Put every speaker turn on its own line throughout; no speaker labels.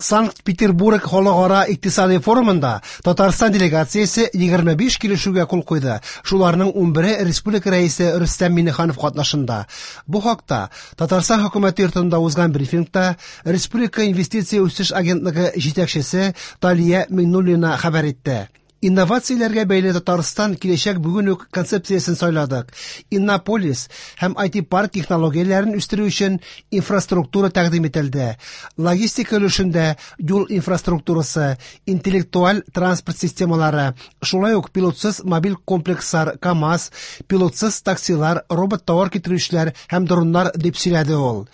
Санкт-Петербург халыкара икътисади форумында Татарстан делегациясе 25 килешүгә кул куйды. Шуларның 11-е республика Рәисе Рөстәм Миңнеханов катнашында. Бу хакта Татарстан хөкүмәте йортында узган брифингта Республика инвестиция үсеш агентлыгы җитәкчесе Талия Миңнуллина хәбәр итте. Инновацияләргә бәйле Татарстан киләчәк бүген үк концепциясен сайладык. Иннополис һәм IT-парк технологияләрен үстерү өчен инфраструктура тәкъдим ителде. Логистика өлешендә юл инфраструктурасы, интеллектуаль транспорт системалары, шулай ук пилотсыз мобиль комплекслар, КАМАЗ, пилотсыз таксилар, робот-товар китерүчеләр һәм дроннар, дип сөйләде ул.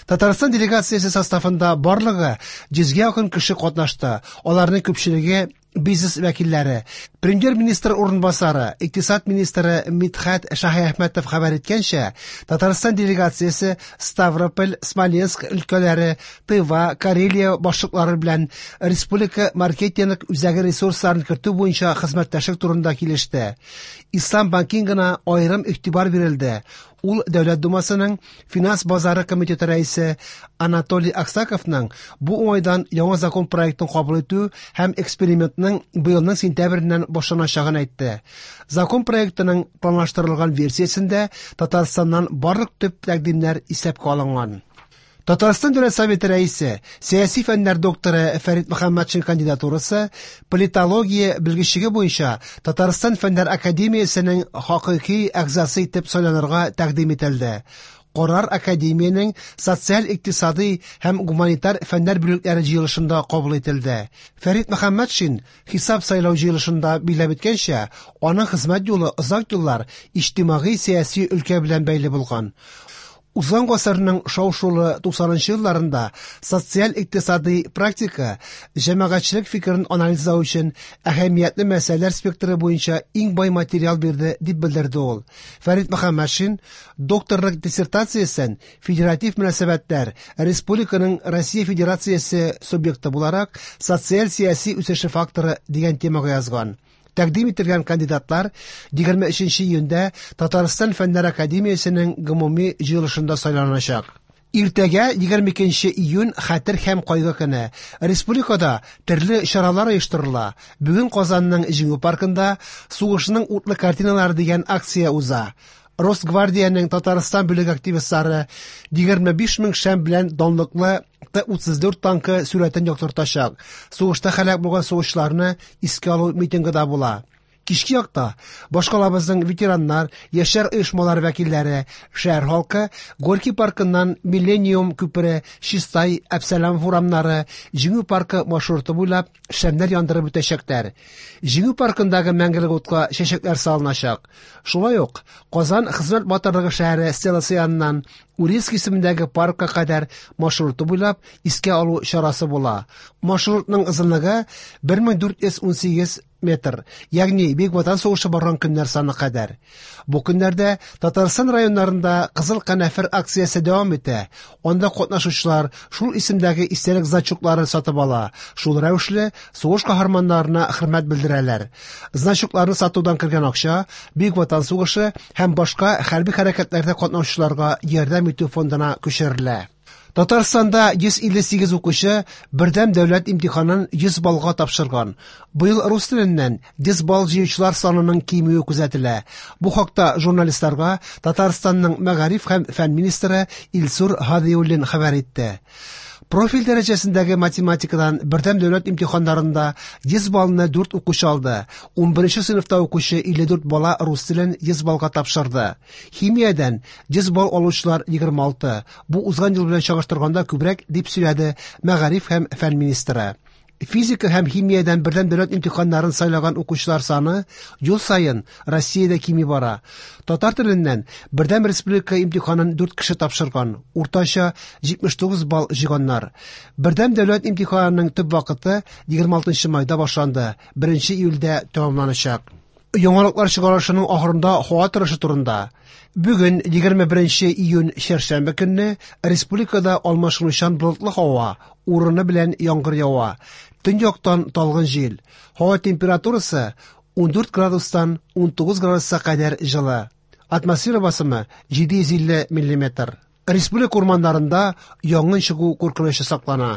Татарстан делегациясе составында барлыгы 100гә якын кеше катнашты. Аларның күпчелеге бизнес вәкилләре. Премьер-министр урынбасары, икътисад министры Мидхәт Шаһиәхмәтов хәбәр иткәнчә, Татарстан делегациясе Ставрополь, Смоленск өлкәләре, Тыва, Карелия башлыклары белән республика маркетинг үзәге ресурсларын кертү буенча хезмәттәшлек турында килеште. Ислам банкингына аерым игътибар бирелде. Ул Дәүләт Думасының Финанс базары комитеты рәисе Анатолий Аксаковның бу уңайдан яңа закон проектын кабул итү һәм экспериментның быелның сентябреннән башланачагын әйтте. Закон проектының планлаштырылган версиясендә Татарстаннан барлык төп тәкъдимнәр исәпкә алынган. Татарстан Дәүләт Советы рәисе, сәяси фәннәр докторы Фәрит Мөхәммәтшин кандидатурасы политология белгечлеге буенча Татарстан Фәннәр академиясенең хакыйкый әгъзасы итеп сайланырга тәкъдим ителде. Карар академиянең социаль-икътисадый һәм гуманитар фәннәр бүлекләре җыелышында кабул ителде. Фәрит Мөхәммәтшин хисап сайлау җыелышында билгеләп үткәнчә, аның хезмәт юлы озак еллар иҗтимагый-сәяси өлкә белән бәйле булган. Узган гасырның шау-шулы 90 нчы елларында социаль-икътисадый практика җәмәгатьчелек фикерен анализлау өчен әһәмиятле мәсьәләләр спектры буенча иң бай материал бирде, дип белдерде ул. Фәрит Мөхәммәтшин докторлык диссертациясен Федератив мөнәсәбәтләр, республиканың Россия Федерациясе субъекты буларак социаль-сәяси үсеше факторы дигән темага язган. Тәкъдим ителгән кандидатлар 23 нче июньдә Татарстан Фәннәр академиясенең гомуми җыелышында сайланачак. Иртәгә, 22 нче июнь, Хәтер һәм кайгы көне. Республикада төрле чаралар оештырыла. Бүген Казанның Җиңү паркында Сугышның утлы картиналары дигән акция уза. Росгвардиянең Татарстан бүлеге активистлары 25 мең шәм белән данлыклы Т-34 танкы сурәтен яктыртачак. Сугышта һәлак булган сугышчыларны искә алу митингы да була. Кичке якта башкалабызның ветераннар, яшьләр оешмалары вәкилләре, шәһәр халкы Горький паркыннан Миллениум күпере, Чистай, Әпсәләмов урамнары, Җиңү паркы маршруты буйлап шәмнәр яндырып үтәчәкләр. Җиңү паркындагы мәңгелек утка чәчәкләр салыначак. Шулай ук Казан хезмәт батырлыгы шәһәре стеласы яныннан Урицкий исемендәге паркка кадәр маршруты буйлап искә алу чарасы була. Маршрутның озынлыгы 1418 метр, ягъни Бөек Ватан сугышы барган көннәр саны кадәр. Бу көннәрдә Татарстан районнарында Кызыл канәфер акциясе дәвам итә. Анда катнашучылар шул исемдәге истәлек значоклары сатып ала, шул рәвешле сугыш каһарманнарына хөрмәт белдерәләр. Значокларны сатудан кергән акча Бөек Ватан сугышы һәм башка хәрби хәрәкәтләрдә катнашучыларга ярдәм итү фондына күчерелә. Татарстанда 158 укучы бердәм дәүләт имтиханын 100 баллга тапшырган. Быел рус теленнән 100 балл җыючылар санының кимүе күзәтелә. Бу хакта журналистларга Татарстанның мәгариф һәм фән министры Илсур Һадиуллин хәбәр итте. Профиль дәрәҗәсендәге математикадан бердәм дәүләт имтиханнарында 100 баллны 4 укучы алды. 11 сыйныфта укучы 54 бала рус телен 100 баллга тапшырды. Химиядән 100 балл алучылар 26. Бу узган ел белән чагыштырганда күбрәк, дип сөйләде мәгариф һәм фән министры. Физика һәм химиядән бердәм дәүләт имтиханнарын сайлаган укучылар саны ел саен Россиядә кими бара. Татар теленнән бердәм республика имтиханын 4 кеше тапшырган, уртача 79 балл җыйганнар. Бердәм дәүләт имтиханының төп вакыты 26 майда башланды, 1 июльдә тәмамланачак. Яңалыклар чыгарылышының ахырында һава торышы турында. Бүген 21 июнь чәршәмбе көнне республикада алмашынучан болытлы һава, урыны белән яңгыр ява. Төньяктан талгын җил. Һава температурасы 14 градустан 19 градуска кадәр җылы. Атмосфера басымы 750 миллиметр. Республика урманнарында янгын чыгу куркынычы саклана.